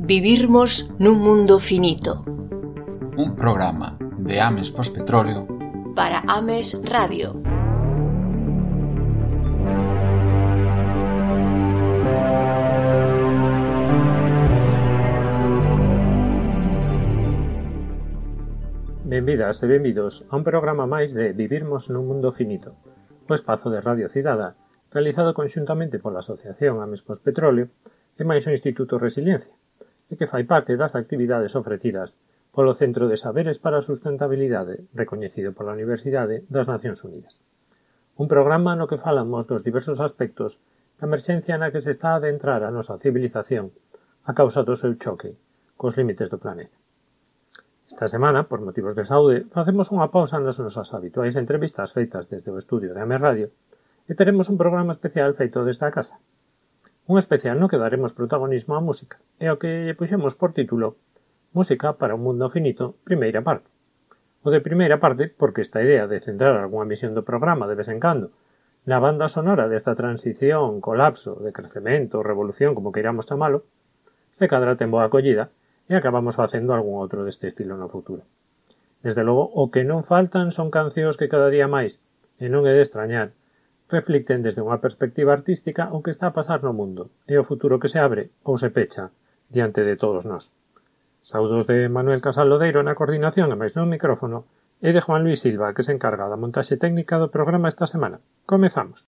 Vivirmos nun mundo finito. Un programa de Ames Pospetróleo para Ames Radio. Benvidas e benvidos a un programa máis de Vivirmos nun mundo finito, o espazo de Radio Cidadá, realizado conxuntamente pola Asociación Ames Pospetróleo e máis o Instituto Resiliencia, e que fai parte das actividades ofrecidas polo Centro de Saberes para a Sustentabilidade, recoñecido pola Universidade das Nacións Unidas. Un programa no que falamos dos diversos aspectos da emerxencia na que se está a adentrar a nosa civilización a causa do seu choque cos límites do planeta. Esta semana, por motivos de saúde, facemos unha pausa nas nosas habituais entrevistas feitas desde o estudio de Ames Radio e teremos un programa especial feito desta casa. Un especial no que daremos protagonismo á música e ao que lle puxemos por título Música para un mundo finito, primeira parte. O de primeira parte porque esta idea de centrar algunha misión do programa de vez en cando na banda sonora desta transición, colapso, decrecemento, revolución, como queiramos chamalo, se cadra ten boa acollida e acabamos facendo algún outro deste estilo no futuro. Desde logo, o que non faltan son cancións que cada día máis, e non é de extrañar, reflicten desde unha perspectiva artística o que está a pasar no mundo e o futuro que se abre ou se pecha diante de todos nós. Saudos de Manuel Casal Lodeiro na coordinación e máis no micrófono e de Juan Luis Silva, que se encarga da montaxe técnica do programa esta semana. Comezamos.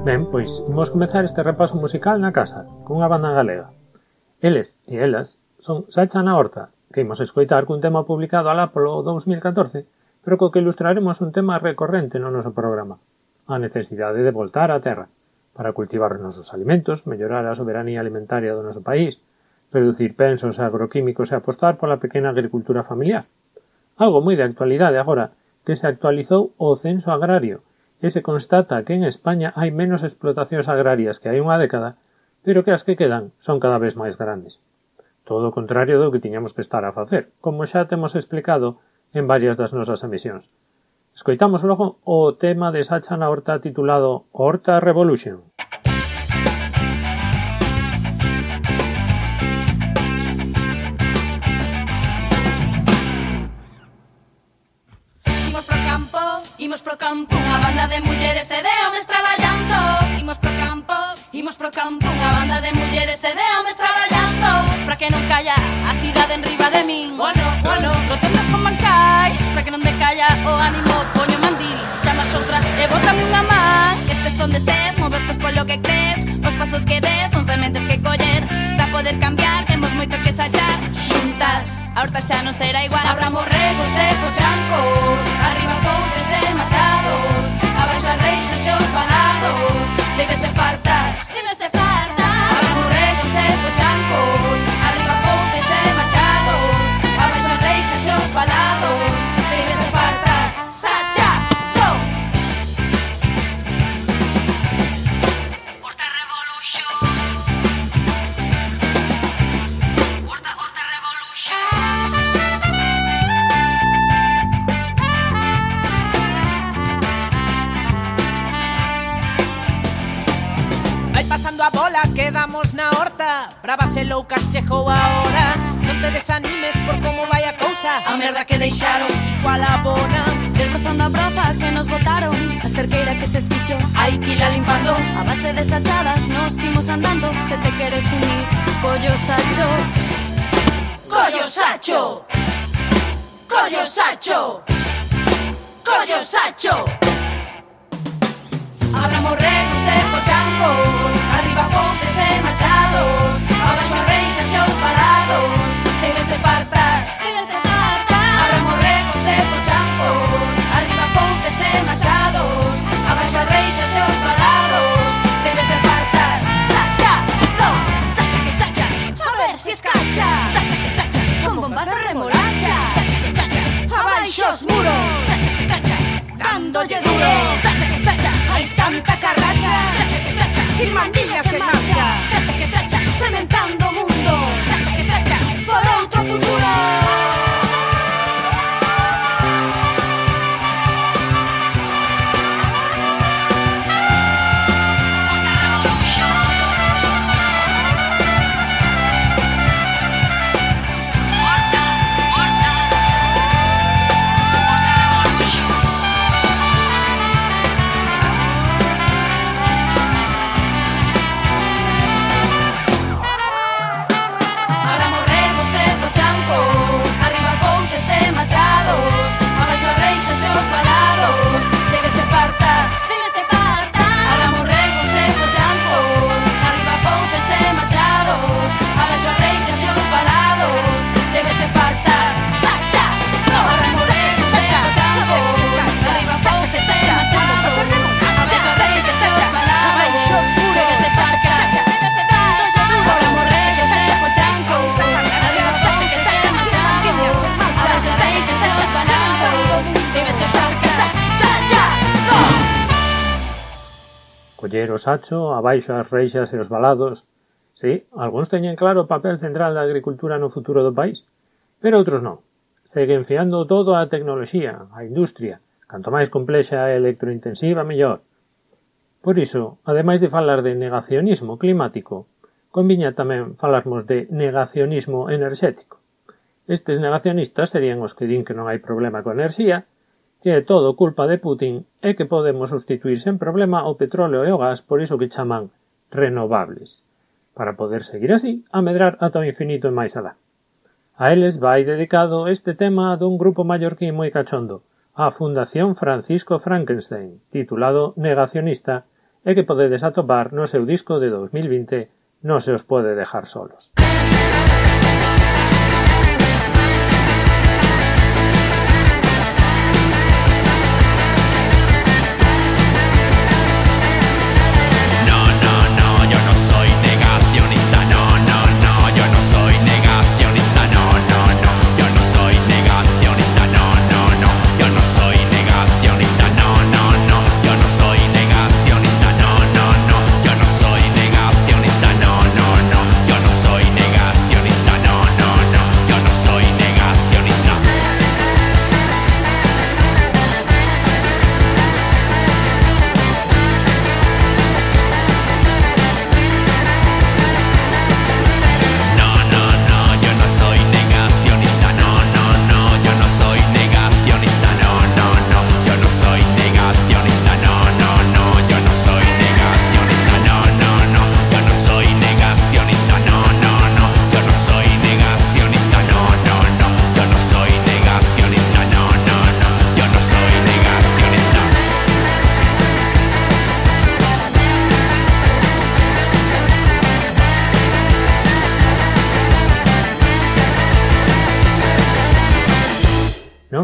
Ben, pois, imos comezar este repaso musical na casa, cunha banda galega. Eles e elas son Sacha na Horta, que imos escoitar cun tema publicado alá polo 2014, pero co que ilustraremos un tema recorrente no noso programa, a necesidade de voltar á terra, para cultivar os nosos alimentos, mellorar a soberanía alimentaria do noso país, reducir pensos agroquímicos e apostar pola pequena agricultura familiar. Algo moi de actualidade agora, que se actualizou o censo agrario, e se constata que en España hai menos explotacións agrarias que hai unha década, pero que as que quedan son cada vez máis grandes. Todo o contrario do que tiñamos que estar a facer, como xa temos explicado en varias das nosas emisións. Escoitamos logo o tema de Sacha na Horta titulado Horta Revolution. Imos pro campo, unha banda de mulleres e de homes traballando. Imos pro campo, unha banda de mulleres e de homes traballando. Pra que non calla a cidade en riba de min. Bueno, rotondas con bancais. Pra que non decalla o ánimo, poño mandil. Chamas outras e bótame unha man. Estes son destes, movestes polo que crees. Os pasos que des son sementes que coller. Pra poder cambiar, temos moito que sachar. Xuntas, a horta xa non será igual. Abramos regos e fochancos, arriba fontes e machados, abaixo as reixas e os balados. Débese fartar, abramos regos e fochancos, arriba fontes e machados, abaixo as reixas e os balados. Débese fartar, sacha, zo. Horta Revolution, Horta Revolution. Pasando a bola, quedamos na horta. Bravas e loucas chegou a hora. Non te desanimes por como vai a cousa. A merda que deixaron igual a bona. Desbrozando a broza que nos botaron, a esterqueira que se fixo, hai que ila limpando. A base de sachadas nos imos andando. Se te queres unir, collo sacho. Collo sacho. Collo sacho. Collo sacho. Abramos regos e fochancos, arriba fontes e machados, abaixo reixas e os balados. Débese fartar, abramos regos e fochancos, arriba fontes e machados, abaixo reixas e os balados. Débese fartar, sacha, zo, sacha que sacha, a ver si escacha, sacha que sacha, con bombas de remolacha, sacha que sacha, abaixo os muros, sacha que sacha, dándolle duro, sacha que sacha, hai tanta carracha, sacha que sacha, y mandillas en marcha. Coller o sacho, abaixo as reixas e os valados. Si, algúns teñen claro o papel central da agricultura no futuro do país, pero outros non. Seguen fiando todo á tecnoloxía, á industria. Canto máis complexa e electrointensiva, mellor. Por iso, ademais de falar de negacionismo climático, conviña tamén falarmos de negacionismo enerxético. Estes negacionistas serían os que din que non hai problema coa enerxía, que é todo culpa de Putin e que podemos sustituir sen problema o petróleo e o gas por iso que chaman renovables, para poder seguir así a medrar ata o infinito e máis alá. A eles vai dedicado este tema dun grupo mallorquín moi cachondo, a Fundación Francisco Frankenstein, titulado Negacionista, e que podedes atopar no seu disco de 2020 Non se os pode dejar solos.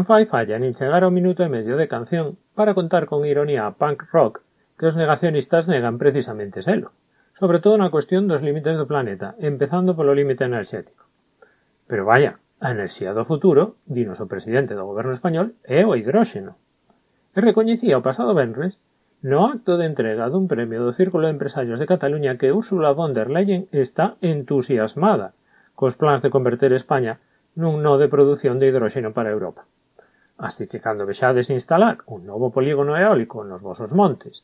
Non fai falla nin chegar ao minuto e medio de canción para contar con ironía a punk rock que os negacionistas negan precisamente selo, sobre todo na cuestión dos límites do planeta, empezando polo límite enerxético. Pero vaya, a enerxía do futuro, dinos o presidente do goberno español, é o hidróxeno. E recoñecía o pasado venres, no acto de entrega dun premio do Círculo de Empresarios de Cataluña, que Ursula von der Leyen está entusiasmada cos plans de converter España nun nodo de produción de hidróxeno para Europa. Así que cando vexades instalar un novo polígono eólico nos vosos montes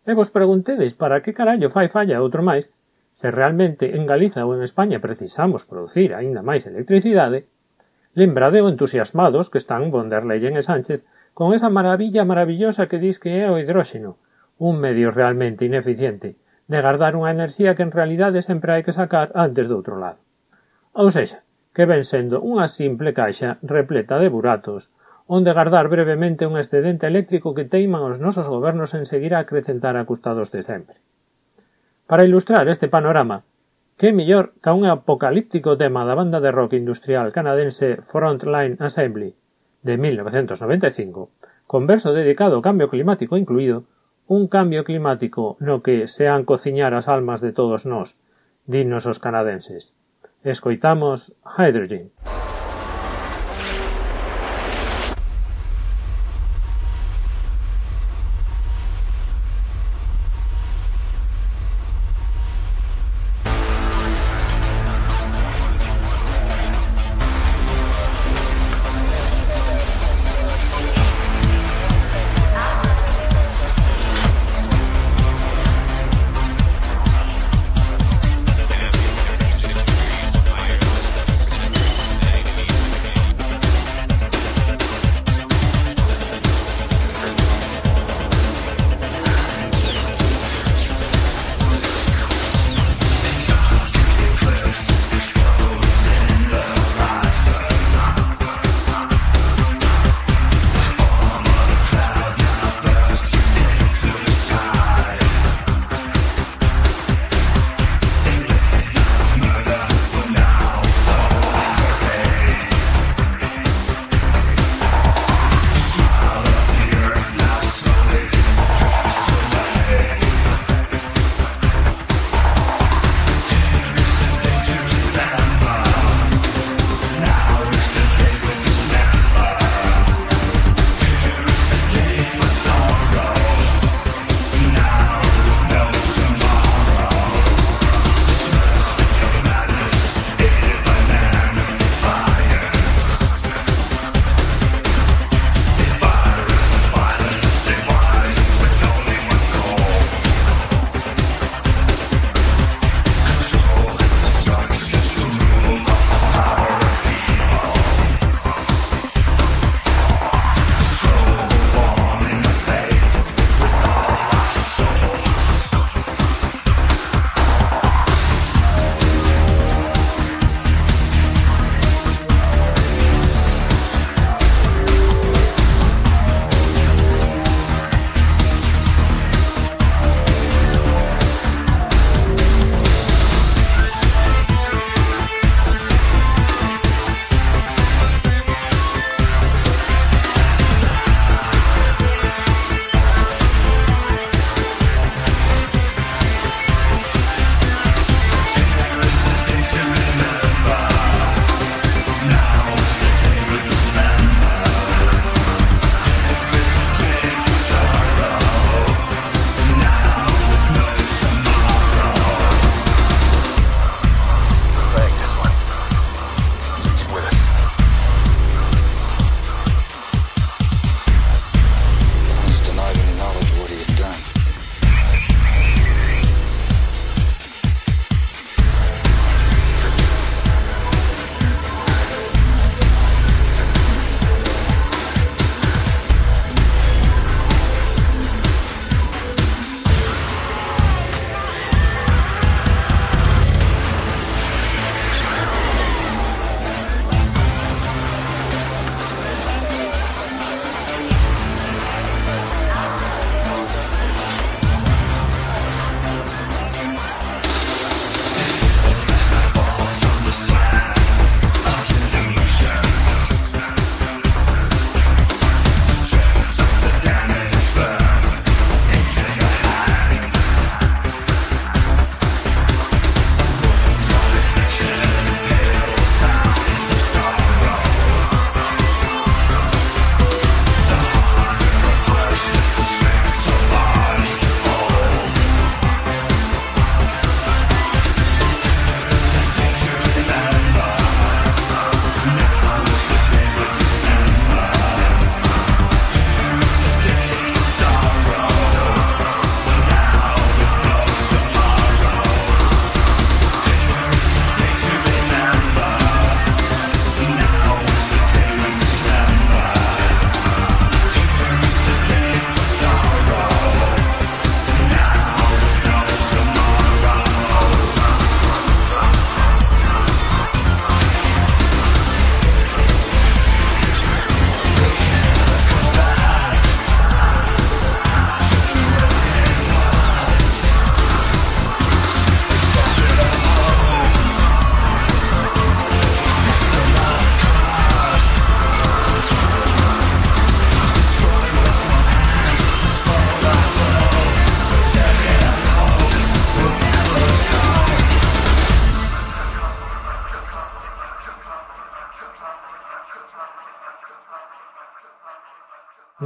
e vos preguntedes para que carallo fai falla outro máis, se realmente en Galiza ou en España precisamos producir aínda máis electricidade, lembrade o entusiasmados que están von der Leyen e Sánchez con esa maravilla maravillosa que dis que é o hidróxeno, un medio realmente ineficiente de guardar unha enerxía que en realidade sempre hai que sacar antes do outro lado. Ou seja, que ven sendo unha simple caixa repleta de buratos onde guardar brevemente un excedente eléctrico que teiman os nosos gobernos en seguir a acrecentar a custados de sempre. Para ilustrar este panorama, que mellor ca un apocalíptico tema da banda de rock industrial canadense Frontline Assembly de 1995, con verso dedicado ao cambio climático incluído, un cambio climático no que se han cociñar as almas de todos nós, dinnos os canadenses. Escoitamos Hydrogen.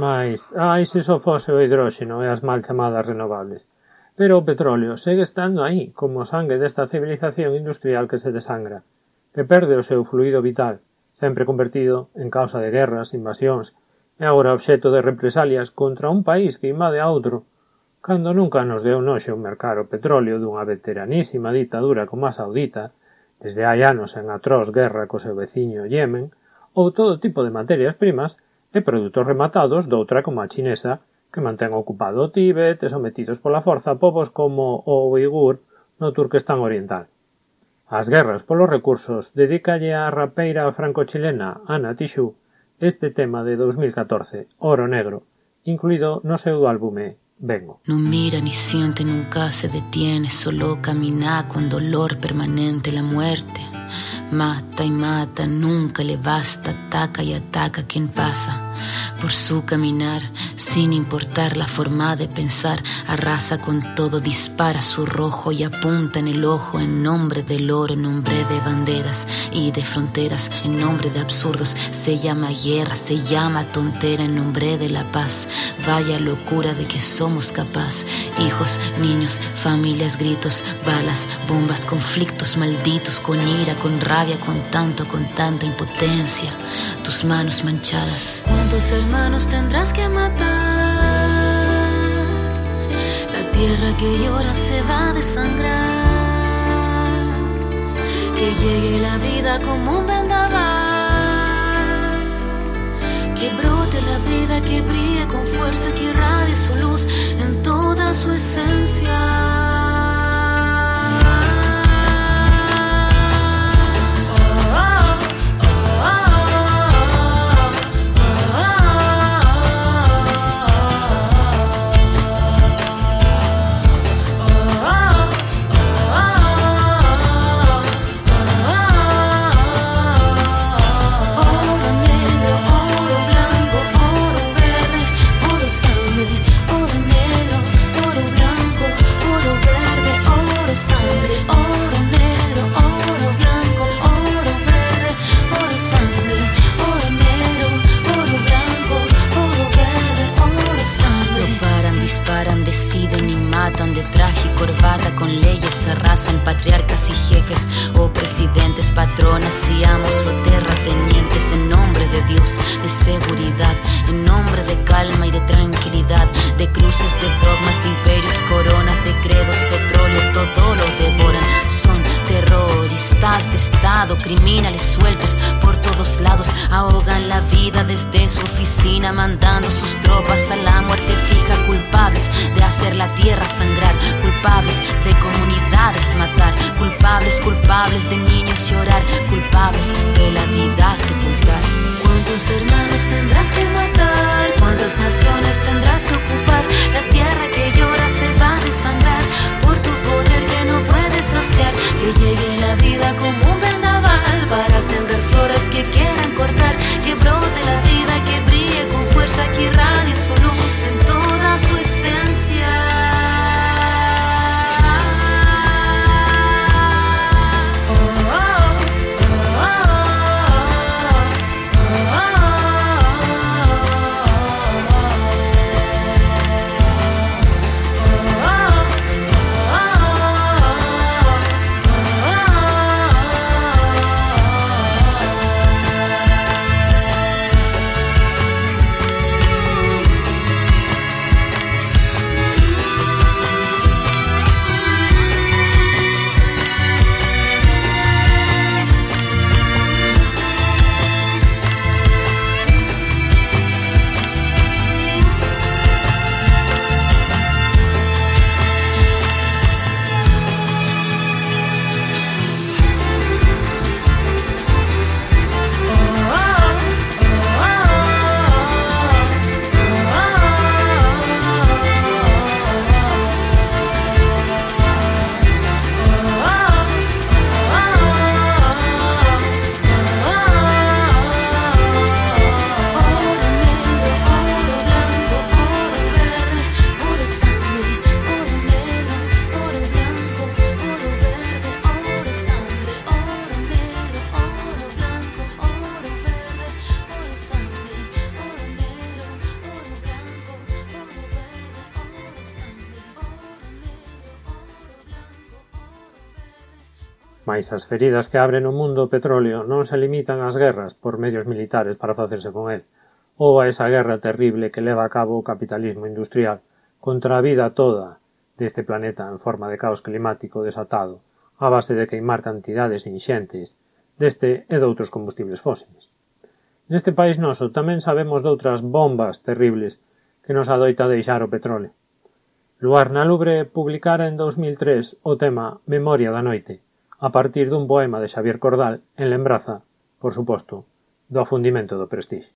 Mais, se só fose o hidróxeno e as mal chamadas renovables. Pero o petróleo segue estando aí, como o sangue desta civilización industrial que se desangra, que perde o seu fluido vital, sempre convertido en causa de guerras, invasións, e agora obxecto de represalias contra un país que invade a outro, cando nunca nos deu noxo mercar o petróleo dunha veteranísima ditadura como a saudita, desde hai anos en atroz guerra co seu veciño Yemen, ou todo tipo de materias primas e produtos rematados doutra como a chinesa, que mantén ocupado o Tíbet e sometidos pola forza povos como o uigur no Turquestán Oriental. As guerras polos recursos dedícalle a rapeira franco-chilena Ana Tijoux este tema de 2014, Oro Negro, incluído no seu álbume Vengo. No mira ni siente, nunca se detiene, solo camina con dolor permanente. La muerte mata y mata, nunca le basta, ataca y ataca a quien pasa por su caminar, sin importar la forma de pensar, arrasa con todo, dispara su rojo y apunta en el ojo, en nombre del oro, en nombre de banderas y de fronteras, en nombre de absurdos, se llama guerra, se llama tontera, en nombre de la paz, vaya locura de que somos capaz, hijos, niños, familias, gritos, balas, bombas, conflictos malditos, con ira, con rabia, con tanta impotencia, tus manos manchadas. ¿Cuántos hermanos tendrás que matar? La tierra que llora se va a desangrar. Que llegue la vida como un vendaval. Que brote la vida, que brille con fuerza, que irradie su luz en toda su esencia. Deciden y matan de traje y corbata, con leyes arrasan patriarcas y jefes o presidentes, patronas y amos o terratenientes, en nombre de Dios, de seguridad, en nombre de calma y de tranquilidad, de cruces, de dogmas, de imperios, coronas, de credos, petróleo, todo lo devoran. Son terroristas de Estado, criminales sueltos por todos lados, ahogan la vida desde su oficina, mandando sus tropas a la muerte fija, culpables de hacer la tierra sangrar, culpables de comunidades matar, culpables de niños llorar, culpables de la vida sepultar. ¿Cuántos hermanos tendrás que matar? ¿Cuántas naciones tendrás que ocupar? La tierra que llora se va a desangrar por tu poder que no puedes saciar. Que llegue la vida como un vendaval para sembrar flores que quieran cortar. Que brote la vida, que brille con fuerza, que irradie su luz en toda su esencia. Mais as feridas que abre no mundo o petróleo non se limitan ás guerras por medios militares para facerse con el, ou a esa guerra terrible que leva a cabo o capitalismo industrial contra a vida toda deste planeta en forma de caos climático desatado a base de queimar cantidades inxentes deste e doutros combustibles fósiles. Neste país noso tamén sabemos doutras bombas terribles que nos adoita deixar o petróleo. Luar Nalubre publicara en 2003 o tema Memoria da noite, a partir dun poema de Xavier Cordal en lembranza, por suposto, do afundimento do Prestige.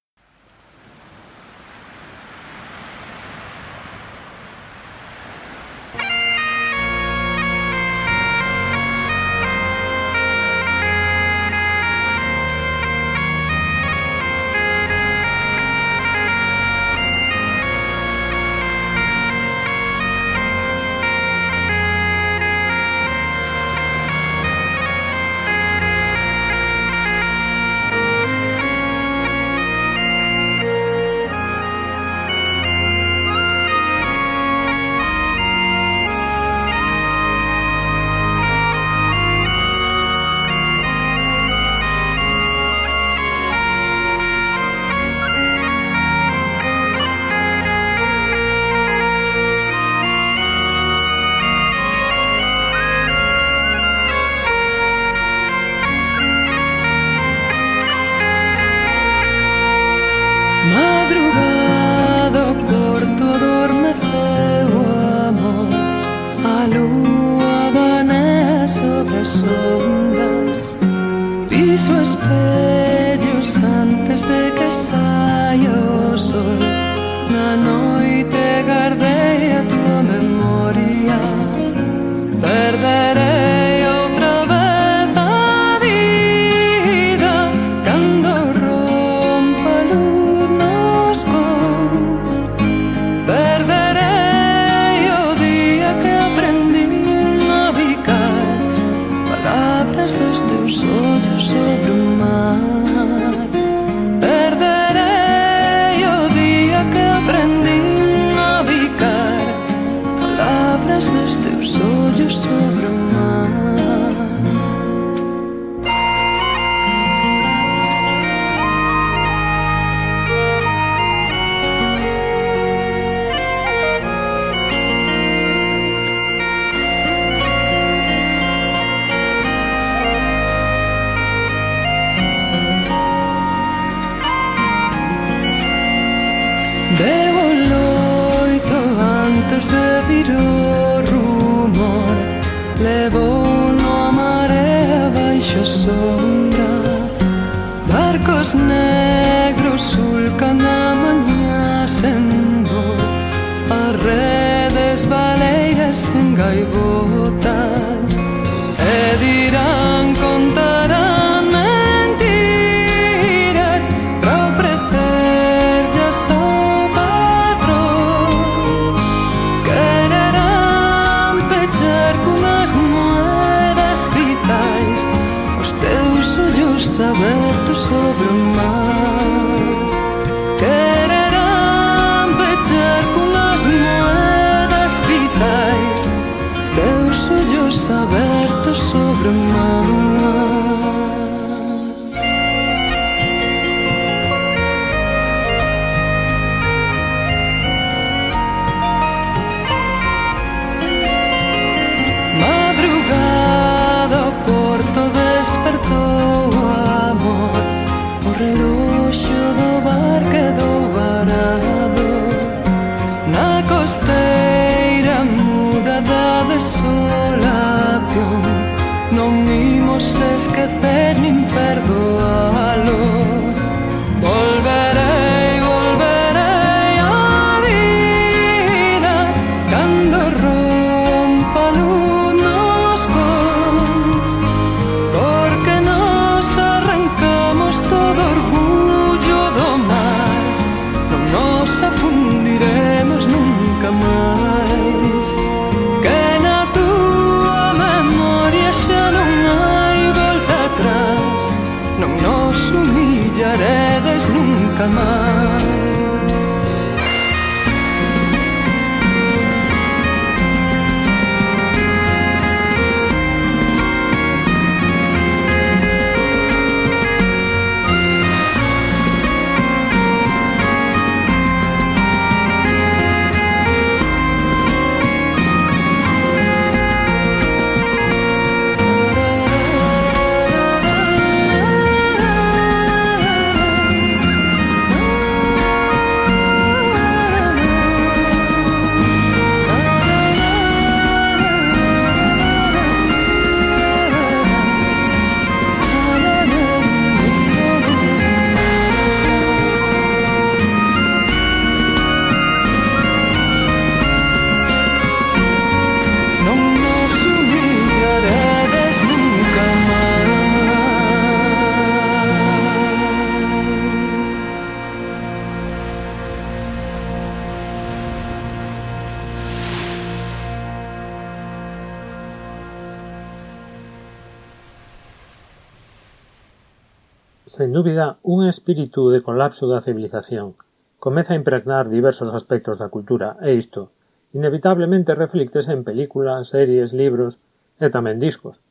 Sen dúbida, un espírito de colapso da civilización comeza a impregnar diversos aspectos da cultura e isto, inevitablemente reflíctese en películas, series, libros e tamén discos.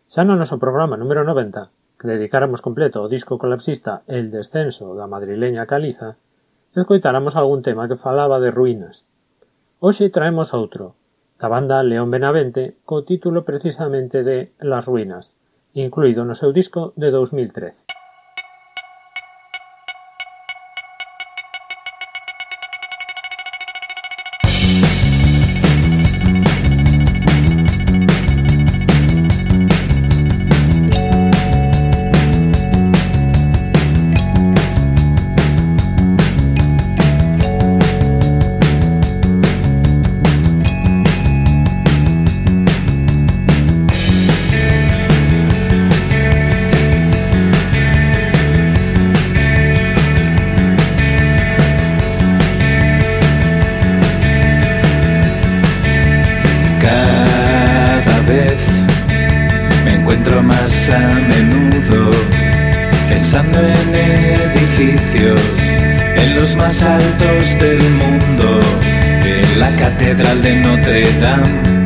Xa no noso programa número 90, que dedicáramos completo ao disco colapsista El descenso da madrileña Caliza, escoitáramos algún tema que falaba de ruínas. Hoxe traemos outro, da banda León Benavente, co título precisamente de Las ruínas, incluído no seu disco de 2013. En los más altos del mundo, en la Catedral de Notre Dame,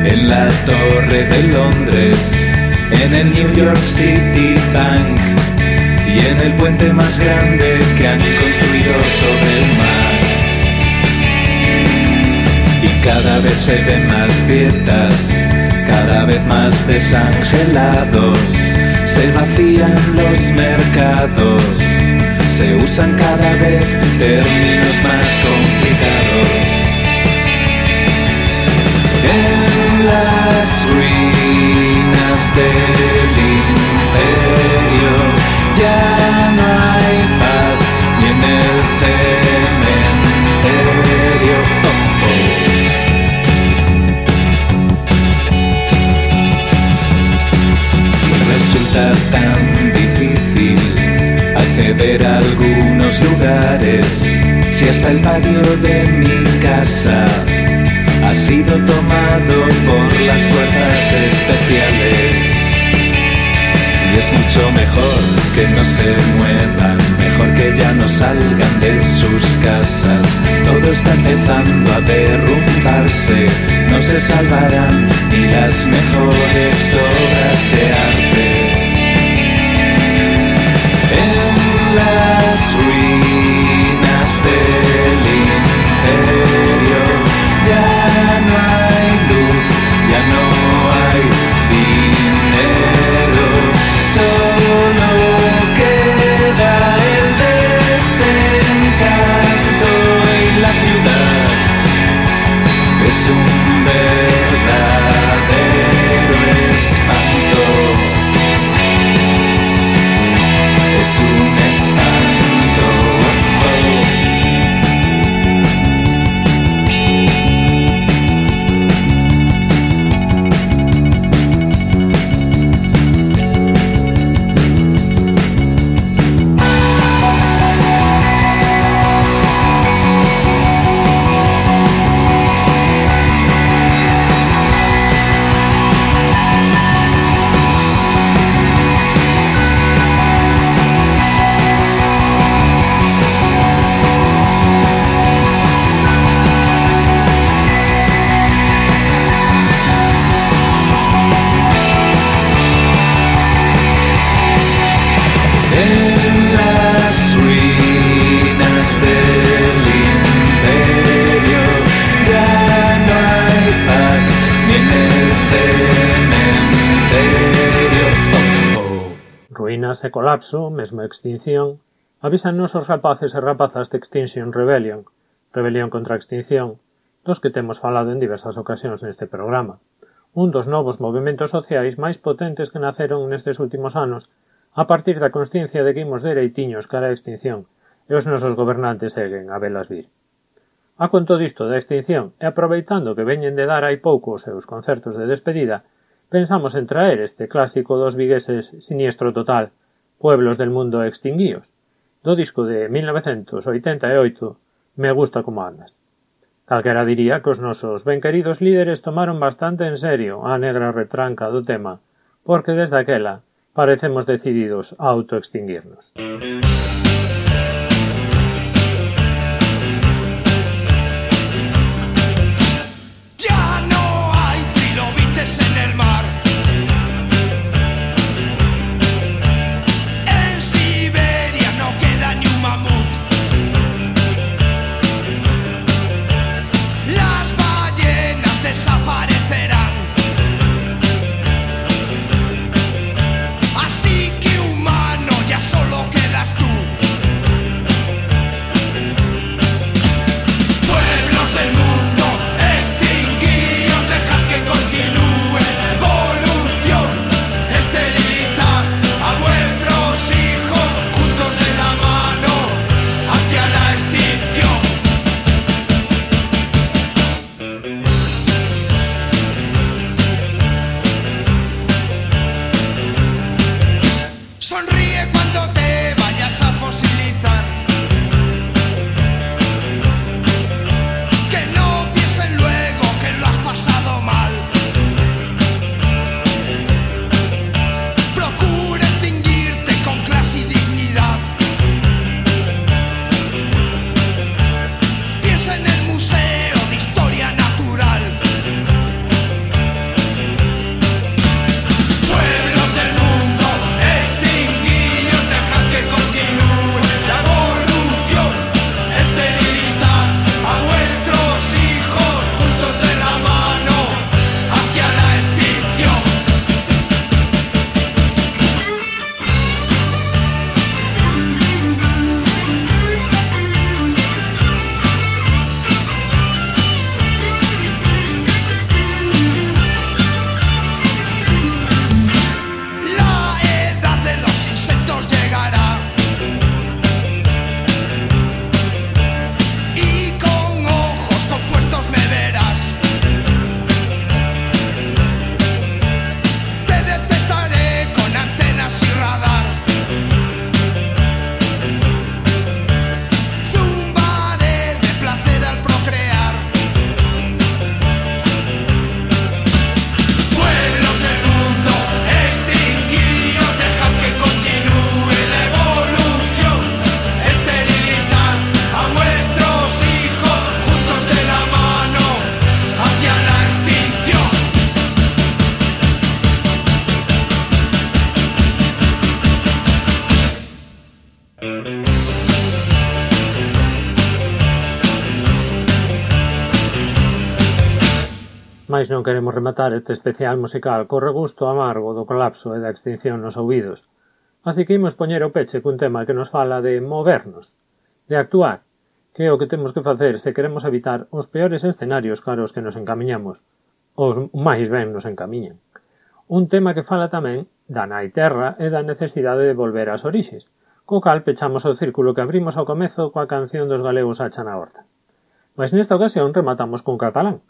en la Torre de Londres, en el New York City Bank y en el puente más grande que han construido sobre el mar. Y cada vez se ven más grietas, cada vez más desangelados, se vacían los mercados, se usan cada vez términos más complicados. En las ruinas del imperio ya no hay paz, ni en el cementerio. Resulta tan difícil acceder a algunos lugares, si hasta el patio de mi casa ha sido tomado por las fuerzas especiales. Y es mucho mejor que no se muevan, mejor que ya no salgan de sus casas. Todo está empezando a derrumbarse, no se salvarán ni las mejores obras de arte. En las ruinas del imperio ya no hay luz, ya no hay dinero, solo queda el desencanto y la ciudad es un verdadero espanto. Es un espanto. E colapso, mesmo extinción, avísannos os rapaces e rapazas de Extinction Rebellion, Rebelión contra a Extinción, dos que temos falado en diversas ocasións neste programa, un dos novos movementos sociais máis potentes que naceron nestes últimos anos a partir da consciencia de que imos dereitiños cara a extinción e os nosos gobernantes seguen a velas vir. A conto disto da extinción e aproveitando que veñen de dar hai pouco os seus concertos de despedida, pensamos en traer este clásico dos vigueses Siniestro Total, Pueblos del mundo extinguíos, do disco de 1988, Me gusta como andas. Calquera diría que os nosos ben queridos líderes tomaron bastante en serio a negra retranca do tema, porque desde aquela parecemos decididos a autoextinguirnos. Ya no hay trilobites en el mar. En Siberia no queda ni un mamut. Las ballenas desaparecerán. Así que humano, ya solo quedas tú. Pueblos del mundo, extinguíos, dejad que continúe la evolución. Esterilizad a vuestros hijos juntos de la mano hacia la extinción. Sonríe cuando te vayas a fosilizar. Que no piensen luego que lo has pasado mal. Procura extinguirte con clase y dignidad. Piensa en el Museo de Historia Natural. Pueblos del mundo, extinguíos, dejad que continúe la evolución. Esterilizad a vuestros hijos juntos de la mano hacia la extinción. La edad de los insectos llegará. Y con ojos compuestos me verás. Te detectaré con antenas y radar. Zumbaré de placer al procrear. Pueblos del mundo, extinguíos, dejad que continúe la evolución. Esterilizad a vuestros hijos juntos de la mano hacia la extinción. Mais non queremos rematar este especial musical co regusto amargo do colapso e da extinción nos ouvidos. Así que imos poñer o peche cun tema que nos fala de movernos, de actuar, que é o que temos que facer se queremos evitar os peores escenarios caros que nos encamiñamos, ou máis ben nos encamiñan. Un tema que fala tamén da nai terra e da necesidade de volver ás orixes, co cal pechamos o círculo que abrimos ao comezo coa canción dos galegos Hacha na Horta. Mas nesta ocasión rematamos con catalán,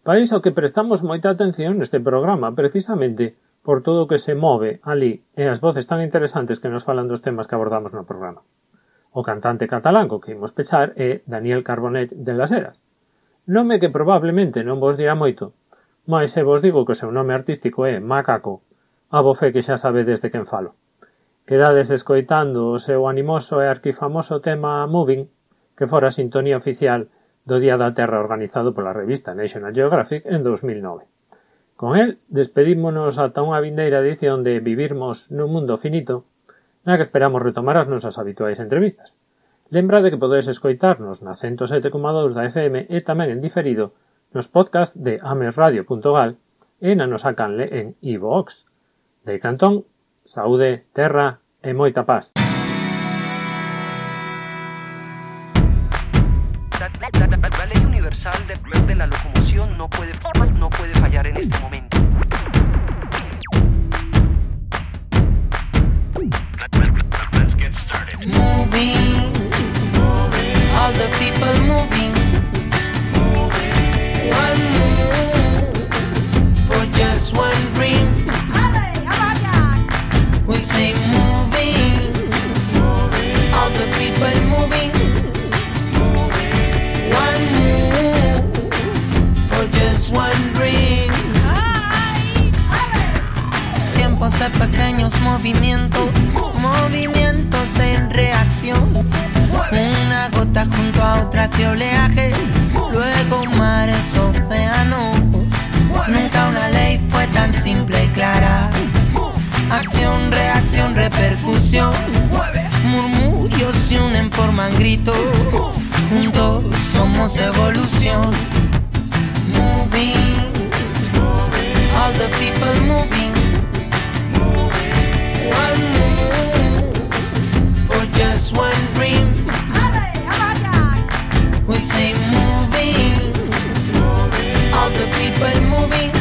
país ao que prestamos moita atención neste programa precisamente por todo o que se move ali e as voces tan interesantes que nos falan dos temas que abordamos no programa. O cantante catalán co que imos pechar é Daniel Carbonet de las Heras, nome que probablemente non vos dirá moito, mas se vos digo que o seu nome artístico é Macaco, a bo fe que xa sabedes de quen falo. Quedades escoitando o seu animoso e arquifamoso tema Moving, que fora a sintonía oficial do Día da Terra organizado pola revista National Geographic en 2009. Con el, despedímonos ata unha vindeira edición de Vivirmos nun mundo finito, na que esperamos retomar as nosas habituais entrevistas. Lembrade que podedes escoitarnos na 107,2 da FM e tamén en diferido nos podcast de amesradio.gal e na nosa canle en iVoox. De Cantón, saúde, terra e moita paz. La ley universal de la locomoción no puede fallar en este momento. Moving, all the people moving. One move for just one dream. We say moving, all the people moving. One move for just one dream. Tiempos de pequeños movimiento, movimientos en reacción. Una gota junto a otra de oleaje, luego mares, océanos. Nunca una ley fue tan simple y clara. Acción, reacción, repercusión. Murmullos se unen, forman gritos. Juntos somos evolución. Moving, all the people moving. One move for just one dream. We say moving, all the people moving.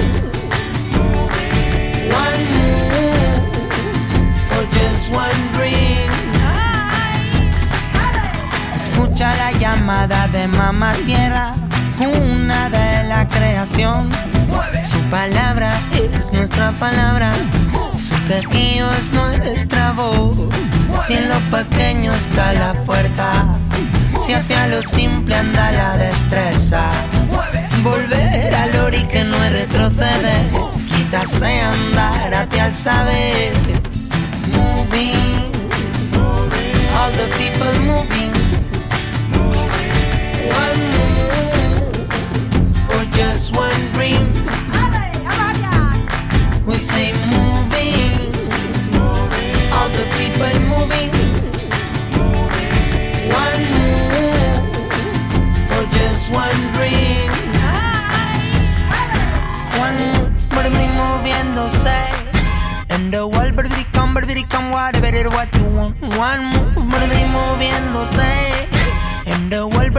One move for just one dream. Escucha la llamada de mamá tierra, una de la creación. Su palabra es nuestra palabra, su quejío es nuestra voz. Si en lo pequeño está la fuerza, si hacia lo simple anda la destreza. Volver al ori que no es retroceder, quizás andar hacia el saber. Moving, all the people moving. One move for just one dream. We say moving, all the people moving. One move for just one dream. One move, mueve moviéndose. And the world, come, whatever it what you want. One move, mueve moviéndose. And the world,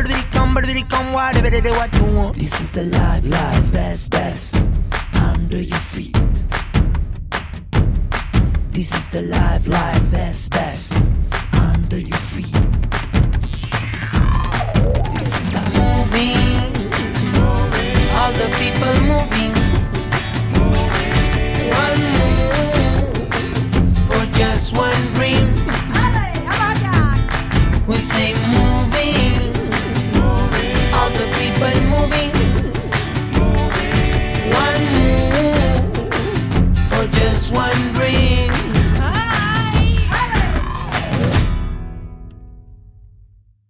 come, whatever it what you want. This is the life, best, under your feet. This is the life, best, under your feet.